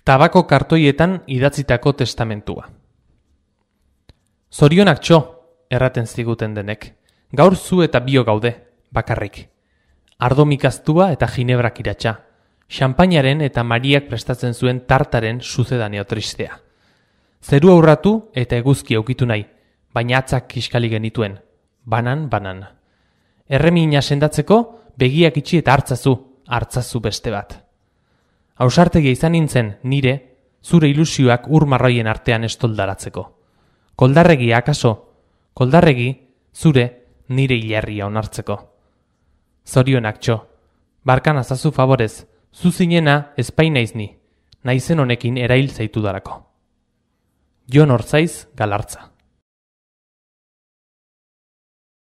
Tabako kartoietan idatzitako testamentua. Zorionak txo, erraten ziguten denek. Gaur zu eta bio gaude, bakarrik. Ardo mikaztua eta ginebrak iratxa. Xampainaren eta Mariak prestatzen zuen tartaren suzedaneo tristea. Zeru aurratu eta eguzki aukitu nahi, baina atzak kiskali genituen. Banan. Erremina sendatzeko, begiak itxi eta hartzazu beste bat. Ausartegia izan nintzen nire, zure ilusioak urmarroien artean estoldaratzeko. Koldarregi akaso, koldarregi, zure nire hilarria onartzeko. Zorionak txo, barkan azazu favorez, zu zinena espainaiz ni, naizen honekin erail zaitu darako. Jon Ortzaiz Galartza.